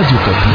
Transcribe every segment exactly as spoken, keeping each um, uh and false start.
Radio Okapi.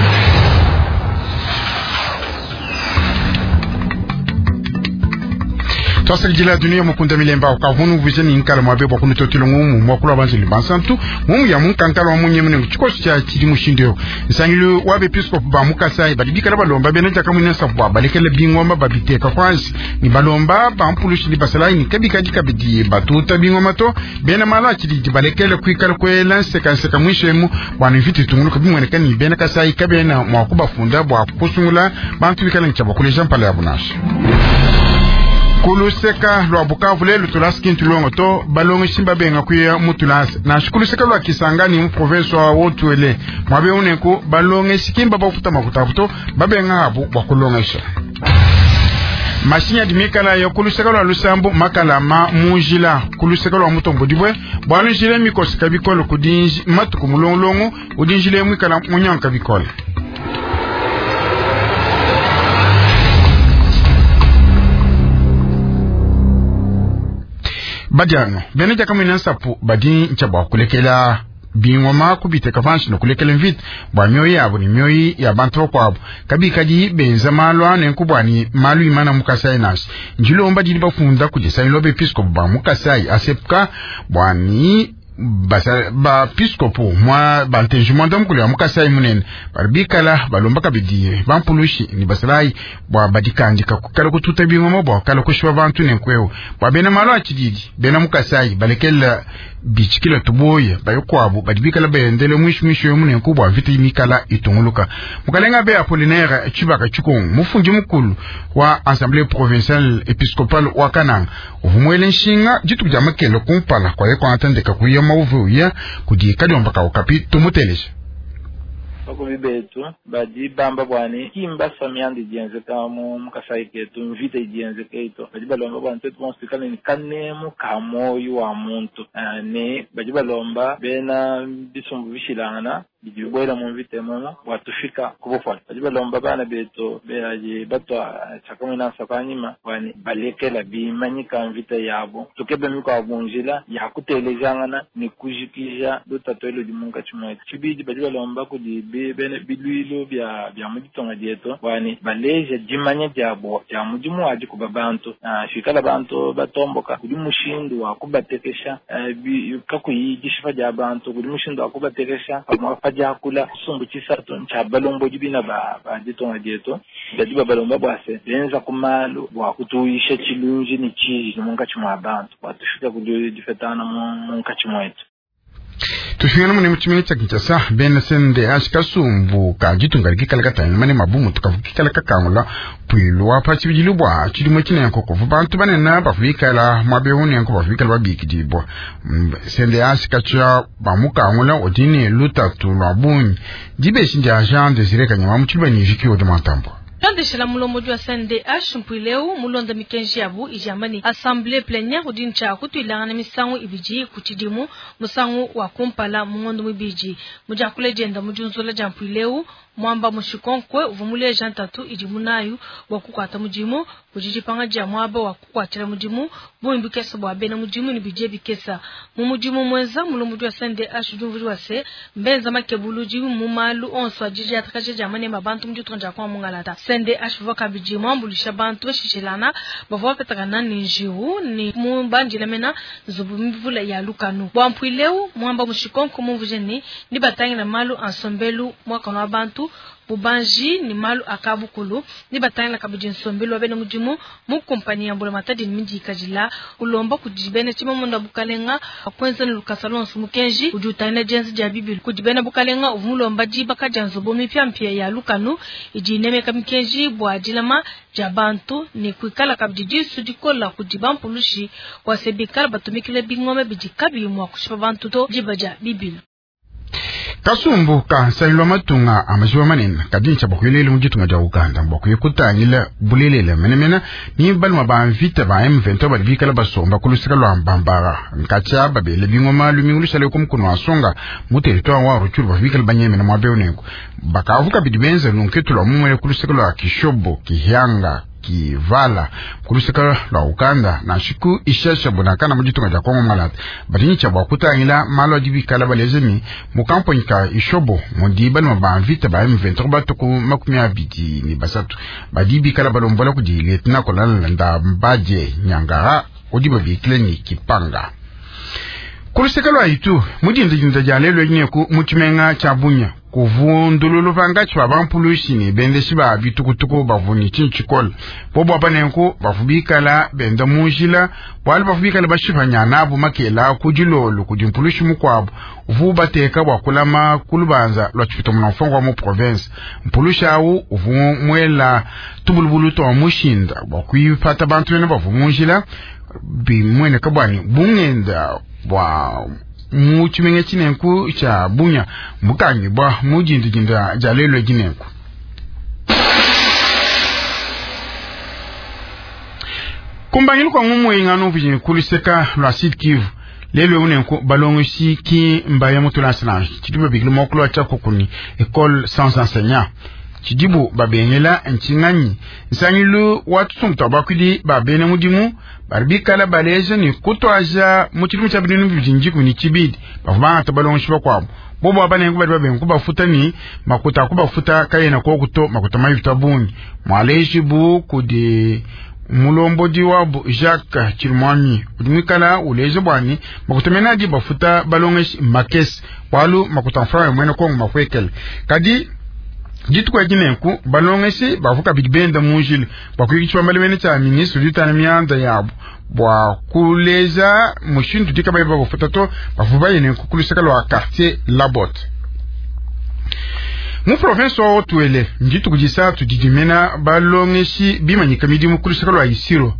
Twasakidila dunia mukunda milemba ukavunu vuze ni nkala mwabe bwa kunutotela ngumu mwakula banzili bansantu ngumu ya munkankala wa munye mune chikosi cha chili mushindo nsangilu wa bepiskopu ba mukasai bali bikala balomba bena jaka munene sabu bwa balekele bingoma babiteka kwansi ni balomba ba mpulushi ni basalai ni kabika dikabidi batuta bingoma to bena mala chili balekele kwikala kwela nseka nseka mwishemu bwana mviti tunguluka bimweneka ni bena kasai kabena mwakubafunda bwa kusungula bantu bikala nchaba kuleja mpala ya bunasha kuluseka lwa Bukavu lelu tulasi kintu longo to balongo shimba benga kuya mutulasi na kuluseka lwa Kisangani mu province wa Haut-Uele mwabe unenku balonge shikimba bafuta makuta to babenga habu bwa kulongesha mashinya dimikala yo kuluseka lwa Lusambo makala ma munjila kuluseka lwa Mutombo dibwe bwana njile mikosi kabikolo kudinji matuku mulongolongo udinjile mwikala munyanka bikolo. Badiano bene jaka nsapu badi ncha bwa kulekela bingoma kubiteka panshi nokulekela mvita bwa mioyo yabo ni mioyo ya bantu bakwabo kabikadi benza malu ane nkubwani malu imana mukasai nasi njilomba dili bafunda kudisanyilwa bepiskopu ba mukasai asepka bwani basa ba piskopu mwa banteji mwanda mukulu ya mukasai munene bali bikala balomba kabidi bampulushi ni basalai bwa badikandika kukala kututa bingoma bwa kala kushiba bantu nenkweo bwa bena malu achididi bena mukasai balekela bichikila tuboye bayokwabo bali bikala bayendele mwishu mwishu yo munene kubwa vita imikala itunguluka mukalenga be Apollinaire Chibaka Chikongo mufundi mukulu wa Assemblée provinciale épiscopale wa Kananga uvumwele nshinga dituku dia makele kumpala kwa ye kwatandeka kuya mauvu ya kudi kadiomba ka Okapi tumutelesha bakubi betu badi bamba bwani kimba samyandi dienzeka mu mukasai ketu mvita idienzeka ito badi balomba bwani twetu bonso tuikale ni kanemu ka moyo wa muntu uh, ne badi balomba bena bisumbu bishilangana bidi bibwela mu mvita emomo bwatufika kubufwana badi balomba bana betu beaji batwa tshakamwinasa kanyima bwani balekela bimanyika mvita yabo tukebe mikwabo njila ya kutelejangana ni kujikija lutato elo dimunka tshimwetu tshibidi badi balomba kudi bene bilwilo bya bya muditonga dietu bwani baleja dimanya diabo dia mudimu wadi kuba bantu uh, shikala bantu batomboka kudi mushindu wa kubatekesha uh, kakuyi dishifa dia bantu kudi mushindu wa kubatekesha pamwe diakula sumbu tshisatu ntshia balombodi bina ba ba ditonga dietu badi babalomba bwase benza kumalu bwa kutuyisha tshilunji ni tshiji munkatshi mwa bantu bwa tufika kudi difetana munkatshi mwetu. Tushingana mune muchimene cha Kinshasa bena sende ashikasumbu ka ditunga likikala katanya mane mabumu tukavukikala kakangula pwilu wa tshibidilu bwa tshidimo tshinenko kuvu bantu banene bavuikala mwabehunenko bavuikala babikidibwa sende ashikatsha bamukangula odini lutatu lwa bunyi dibeshi ndia Jean Desire Kanyama mutshiluba ni vikiwo de matambo Tandeshela mulomo wa C N D H mpwileu mulonda mikenji yabu ijamani assemblée plénière udincha kutuilanga na misangu ibiji kuchidimu musangu wa kumpala mungondo mibiji mujakule jenda mujunzula ja mpwileu mwamba mushikonkwe uvumule jantatu idimunayu wa kukwata mudimu kujijipanga ja mwaba wa kukwatira mudimu bumbi kesa bwa bena mudimu ni bije bikesa mu mudimu mwenza mulomo wa C N D H jumvuri wa se mbenza makebulu mu malu onso ajiji atakaje jamani mabantu mjutonja kwa mungalata C N D H vakabiji mwambulisha bantu bashishilana bavua petakana ni njiwu ni mumbanjila mena nzubu mvula ya lukanu bwampwileu mwamba mushikonko mumvujeni ni batangila malu ansombelu mwaka wa bantu bubanji ni malu akabukulu ni batangila kabiji nsombelu wabene mudimu mu kompani ya mbula matadi ni miji kajila ulomba kujibene chimamunda bukalenga kwenza ni lukasa lonso mukenji ujutana jenzi ja bibi kujibene bukalenga uvumulomba jibaka ja nzubu mipya mpya ya lukanu ijinemeka mikenji bwa jilama ja bantu ni kuikala kabiji disu dikola kujiba mpulushi kwa sebikala batumikile bingome bijikabi mwa kushipa bantu to jiba ja bibi. Kasumbu ka nsailwa matunga amajiwa manene kadincha bakwilele mu ditunga dia Uganda bakwiye kutangila bulelele menemene ni baluma ba mvita ba M vingt-trois bali bikala basomba ku lusika lwa Mbambara nkacha babele bingoma lumingu lushale ku mukono wa Songa mu territoire wa Rutshuru bikala banyemene mwa Beonengo bakavuka bidi benza nunketu lwa mumwele ku lusika lwa Kishobo Kihyanga Kivala kuluseka lwa Uganda na nshiku ishesha bunakana mu ditunga dia Kongo Malata badi tshia bua kutangila malu adi bikala baleze ni mu kamponyi ka Ishobo mudi baluma ba mvita ba M vingt-trois batuku makumi abidi ni basatu badi bikala balombola kudi lieutenant colonel Ndambaje Nyangara udi babikile ni Kipanga. Kuluseka lwa itu mudinda dia lelo nyeku mu tshimenga tshia Bunya kuvundululu pangatshi ba bampulushi ne bendeshi ba bitukutuku bavuni tshikola bobo abanenku bavubikala benda munjila bwalu bavubikala bashipanya nabo makela kudilolo kudi mpulushi mukwabo uvu bateka bwa kulama kulubanza lwa tshipito muna mfongo wa mu province mpulushi awu uvu mwela tubulubulu twa mushinda bwa kuipata bantu bene bavu munjila bimwene kabwani bungenda bwa mu tshimenga tshinenku tsha Bunya mukanyi bwa mujindijinda ja lelo jinenku. Kumbangilu kwa ngumwe ngano vijini kuliseka lwa Sud Kivu lelo unenku balongoshi ki mbaya mutulasana chidibu biglu moklo cha kokuni école sans enseignant chidibu babengela nchinganyi nsangilu watu sumta bakwidi babene mudimu barbikala baleje ni kutwaja mu tshidimu tsha binunu bibidi ni chibidi bavuma tabalongoshi bakwabo bobo abanengu bali babengu bafuta ni makuta kubafuta kayena kokuto makuta mayuta bungi mwaleji bu kudi mulombodi wabu Jacques Chirumwami udimikala uleje bwani makuta bafuta balongeshi makesi walu makuta mfrawe mwene kongo makwekele kadi jitukwa jinenku balongeshi bavuka bidibenda munjili bakuyikichwa malemene cha ministre ditana mianda yabo bwa kuleza mushindu dikabaye bafuta to bafuba yenenku kuluseka lwa quartier Labotte mu province wa Haut-Uele njituku jisatu didimena balongeshi bimanyika midimu kuluseka lwa Isiro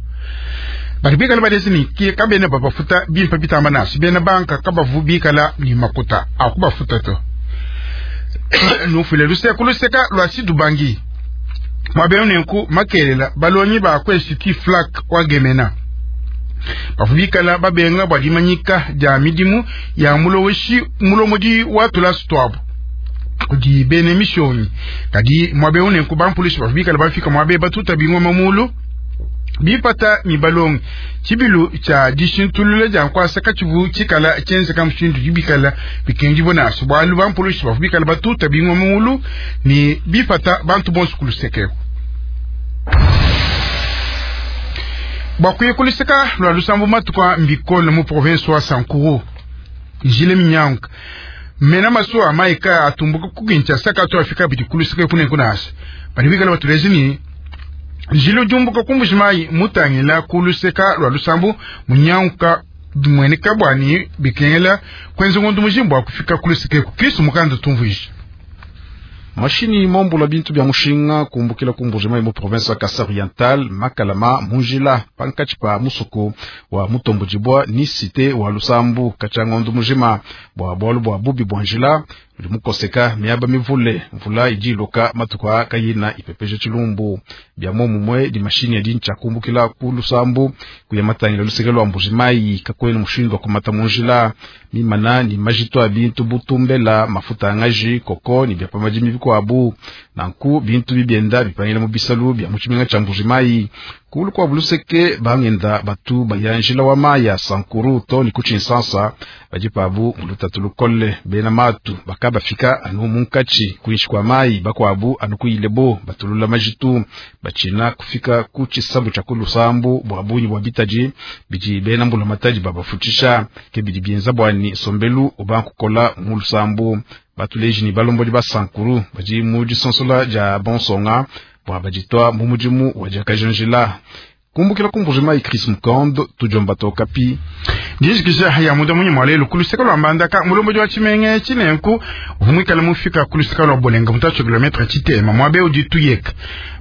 bali bikala badesi ni kabene babafuta bimpa bitamba nasi bena banka kabavu bikala ni makuta akubafuta to nufile luseka luseka lwa Sidubangi mwabene makelela balonyi ba kwesiti flak wa gemena bafubikala babenga bwa dimanyika dia midimu ya muloweshi mulomodi wa tulastwabo kudi bene mishoni kadi mwabe unenku bampulushi bafubikala bafika mwabe batuta bingwa mamulu bipata ni balongi chibilu cha dishintulule ja nkwasa kachibu chikala chenze kamshindu jibikala bikenji bonaso bwalu bampulushi bafubikala batuta bingwa mamulu ni bipata bantu bonso kulusekeko bwakuye kuluseka lwa lusambu matuka mbikolo mu province wa Sankuru jile minyanka mena masuwa maika atumbuka kukincha saka to afika bidi kuluseka kune kunasa bali bikala batulezi ni jilo jumbuka kumbushimai mutangila kuluseka lwa lusambu munyanka mwene kabwani bikengela kwenze ngondu mujimbo akufika kuluseka ku Kristo mukanda tumvuisha mashini mombula bintu bya mushinga kumbukila kumbujima mu province ya Kasai Oriental Makalama munjila pankachi pa musuku wa mutombujibwa ni cité wa Lusambu kachangondo mujima bwa bwalu bwa bubi bwa njila mukoseka miaba mivule mvula ijiloka matuka kayina ipepeje chilumbu bya momumwe di mashini ya dincha kumbukila ku Lusambu kuyamatangila luseke lwa Mbujimai kakwena mushindo kumata munjila mimana ni majito ya bintu butumbela mafuta ngaji koko ni bya pamajimi bikwabu nanku bintu bibyenda bipangila mu bisalu bya muchiminga cha Mbujimai kulu kwa buluseke bangenda batu bayanjila wa maya Sankuru to ni kuchinsansa bajipabu mulutatu lukole bena matu bakaba fika anu munkachi kuishi kwa mai bakwabu anu kuilebo batulula majitu bachina kufika kuchisambu cha kulusambu bwa bunyi bwa bitaji biji bena mbula mataji babafutisha kebidi bienza bwani sombelu obankukola mulusambu batuleji ni balomboli ba Sankuru baji mu disonsola ja bonsonga bwa bajitwa mu mudimu wa jakajanjila kumbukila kumbujima Chris Mukando tujomba tokapi ndijikisha ya muda munyi mwalelo kuluseka lwa mbandaka mulombo wa chimenge chinenku vumwikala mufika kuluseka lwa bolenga mutacho kilometre chitema mwabe ujituyeka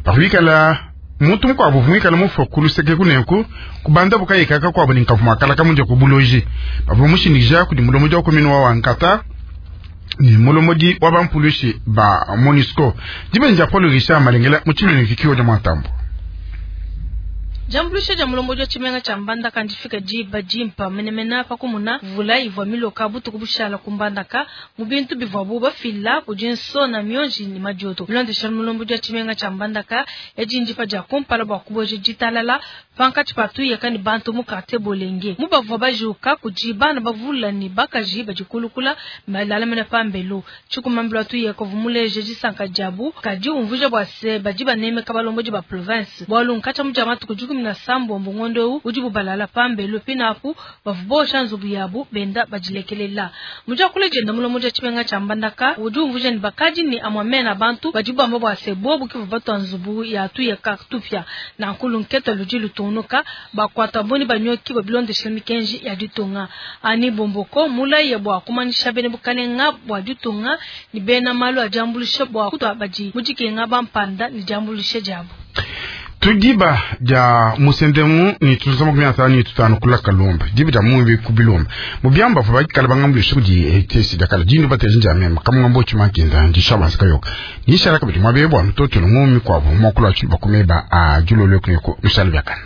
pakuikala muntu mukwabu vumwikala mufa kuluseke kunenku kubanda bukayikaka kwabo ninkavumakala kamunja kubuloji pavu mushindikisha kudi mulombo wa komini wa wankata ni mulomodi wa bampulushi ba Monisco dibenja Paul Richard Malengela muchimene vikiwa ja mwatambo. Diambuluisha dia mulombodi wa tshimenga tshia Mbandaka ndifika diba dimpa menemene pa kumuna mvula ivua miloka butuku bushala ku Mbandaka mu bintu bivuabu bafila kudi nsona mionji ne madioto. Bilondeshile mulombodi wa tshimenga tshia Mbandaka, edi ndipa dia kumpala bua kubueja ditalala pankatshi pa tuyeka ne bantu mu quartier Bolenge. Mu bavua bajuka kudi bana bavula ne bakaji badikulukula balalamena pambelu. Tshikumambila wa tuyeka uvua muleje disanka diabu kadi umvuija bua se badi banemeka balombodi ba province bualu nkatshia mu dia matuku dikumi na sambombo ngondo eu udibu balala pambelu pinapu bavua bosha nzubu yabu benda badilekelela. Mu diakula dienda mulombodi wa tshimenga tshia Mbandaka udi umvuija ne bakadi ne amue mena bantu badi bamba bua se bobu ke bavua batua nzubu ya tuyeka tupia nanku lunketa ludi lutungunuka bakuata boni banyoki babilondeshela mikenji ya ditunga. Ani Bomboko mulaye bua kumanyisha bena bukalenga bua ditunga ne bena malu a diambuluisha bua kutua badi mu dikenga bampanda ne diambuluisha diabu. Tudiba dia musendemu ni tuzama makumi atanu ni tutanu kula kalumba diba dia mumbi kubilumba mubyamba fa bakala bangambulisha kudi etesi dakala dindu bateje njamema kamungambo chimakinda ndishabanza kayoka nishala kabidi mwabebwa mtoto ngumi kwabo mokula chiba kumeba a julolo kuneko mishala byakana.